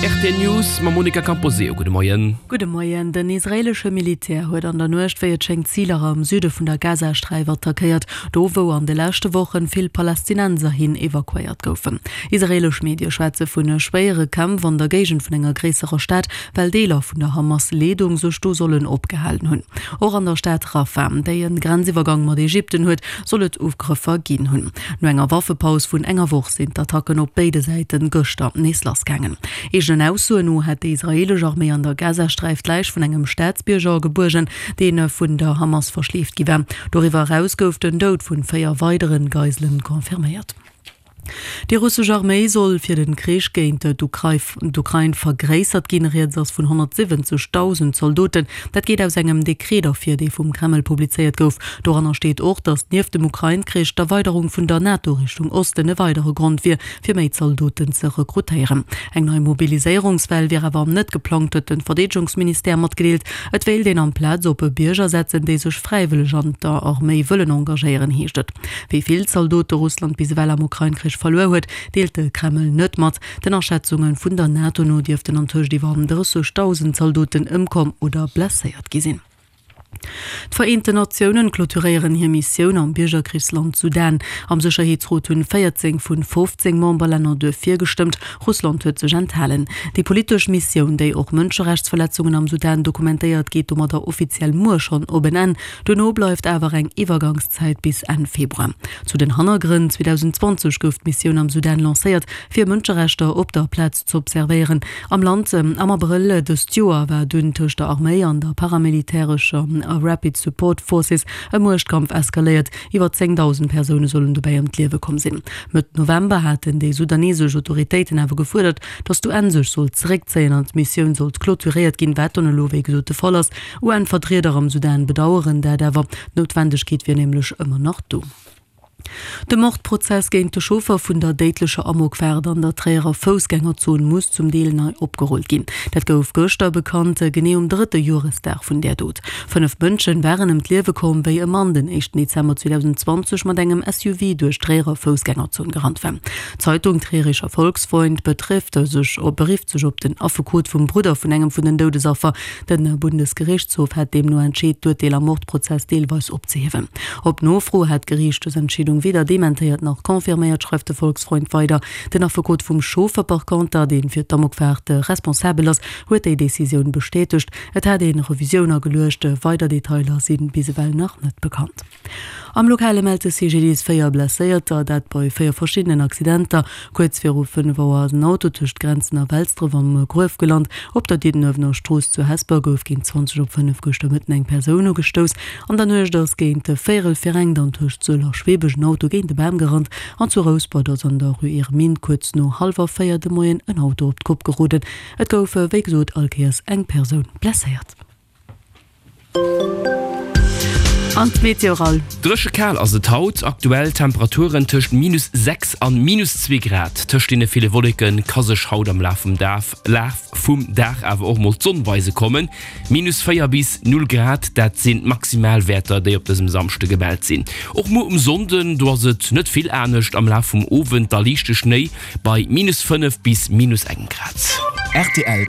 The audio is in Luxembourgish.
Rtl News mam Monica Camposeo. Gudde Moien. Gudde Moien. Den israeelesche Militär huet an der Nuecht, wéi et schéngt, Ziler am Süde vun der Gazasträif attackéiert, do wou an de leschte Wochen vill Palästinenser hin evakuéiert goufen. Israeelesch Medie schwätze vun schwéiere Kämpf an der Géigend vun enger gréisserer Stad, well Deeler vun der Hamas-Leedung sech do sollen opgehalen hunn. Och an der Stad Rafah, déi e Grenziwwergang mat Ägypten huet, soll et Ugrëffer ginn hunn. No enger Waffepaus vun enger Woch sinn d'Attacken op béide Säite gëschter nees lassgaangen. Eegenen Aussoen no hätt déi israeelesch Arméi an der Gazasträif d'Läich vun engem Staatsbierger gebuergen, dee vun der Hamas verschleeft gi war. Doriwwer eraus gouf den Doud vun 4 weidere Geiselen confirméiert. Déi russesch Arméi soll fir de Krich géint d'Ukrain vergréissert ginn. Rieds ass vun 170.000 Zaldoten. Dat geet aus engem Dekret ervir, dee vum Kreml publizéiert gouf. Doranner steet och, datt nieft dem Ukrain-Krich d'Erweiderung vun der NATO Richtung Osten e weidere Grond wier, fir méi Zaldoten ze rekrutéieren. Eng nei Mobiliséierungswell wier awer net geplangt, huet de Verdeedegungsministère matgedeelt. Et wéilt een amplaz op Bierger setzen, déi sech fräiwëlleg an der Arméi wëllen engagéieren, heescht et. Wéi vill Zaldote Russland bis ewell am Ukrain-Krich verluer huet, deelt de Kreml net mat. Den Aschätzunge vun der NATO no dierften antëscht iwwer 30.000 Zaldoten ëmkomm oder blesséiert gi sinn. D'Vereenten Natiounen clôturéieren hir Missioun am Biergerkrichsland Sudan. Am Sécherheetsrot hunn 14 vun 15 Memberlänner duerfir gestëmmt, Russland huet sech enthalen. Déi politesch Missioun, déi och Mënscherechtsverletzungen am Sudan dokumentéiert, geet domadder offiziell muer schonn op en Enn. Duerno bleift awer eng Iwwergangszäit bis Enn Februar. Zu den Hannergrënn, 2020 gouf d'Missioun am Sudan lancéiert, fir Mënscherechter op der Plaz z'observéieren am Land. Am Abrëll dëst Joer war dunn tëscht der Arméi an der paramilitärescher Rapid Support Forces e Muechtkampf eskaléiert. Iwwer 10.000 Persoune sollen dobäi ëm d'Liewe komm sinn. Mëtt November haten déi sudanesesch Autoritéiten awer gefuerdert, datt d'UN sech sollt zeréckzéien an d'Missioun sollt clôturéiert ginn, wat dann elo wéi gesot de Fall ass. UN-Vertrieder am Sudan bedaueren dat awer, d'Noutwendegkeet wier nämlech ëmmer nach do. De Mordprozess géint de Chauffer vun der déidlecher Amokfaart an der Tréierer Foussgängerzon muss zum Deel nei opgerullt ginn. Dat gouf gëschter bekannt, genee um drëtte Joresdag vun där Dot. 5 Mënschen waren ëm d'Liewe komm, wéi e Mann den éischten Dezember 2020 mat engem SUV duerch d'Tréierer Foussgängerzon gerannt war. D'Zeitung Trierischer Volksfreund betrifft sech berifft sech op den Affekot vum Brudder vun engem vun den Doudesaffer. De Bundesgerichtshof hätt deemno entscheet, d'Urteel am Mordprozess deelweis opzehiewen. Op Nofro hätt d'Geriicht dës Entscheedung weder dementéiert nach confirméiert, schreift de Volksfreund weider. Den Affekot vum Chauffer par conter, dee fir d'Amokfaart responsabel ass, huet déi Decisioun bestätegt. Et hätt ee Revisioun ageluecht. Weider Detailer si bis ewell nach net bekannt. Am Lokale mellt de CGDIS 4 Blesséierter, dat bei 4 verschiddenen Accidenter. Kuerz viru 5 Auer ass en Auto tëscht Grenzen a Welsdref am Gruef gelant. Op der Diddenuewener Strooss zu Hesper gouf géint 20 op 5 gëschter Mëtten eng Persoun ugestouss. An der Nuecht ass géint véierel fir eng dann tëscht Sëll a Schweebech en Auto géint e Bam gerannt. An zu Rouspert ass an der Rue Irmine kuerz no hallwer 4 de Moien en Auto op d'Kopp geroden. Et gouf wéi gesot all Kéiers eng Persoun blesséiert. An d'Meteo Rall. Dréche kal ass et haut, aktuell Temperaturen tëscht minus 6 an minus 2 Grad. Tëscht deene ville Wolleke ka sech haut am Laf vum Laf vum Dag awer och mol d'Sonn weise kommen. Minus 4 bis 0 Grad, dat sinn d'Maximalwäerter, déi op dësem Samschde gemellt sinn. Och muer um Sonnden, do ass et net vill anescht, am Laf vum Owend da liichte Schnéi bei minus 5 bis minus engem Grad. Rtl.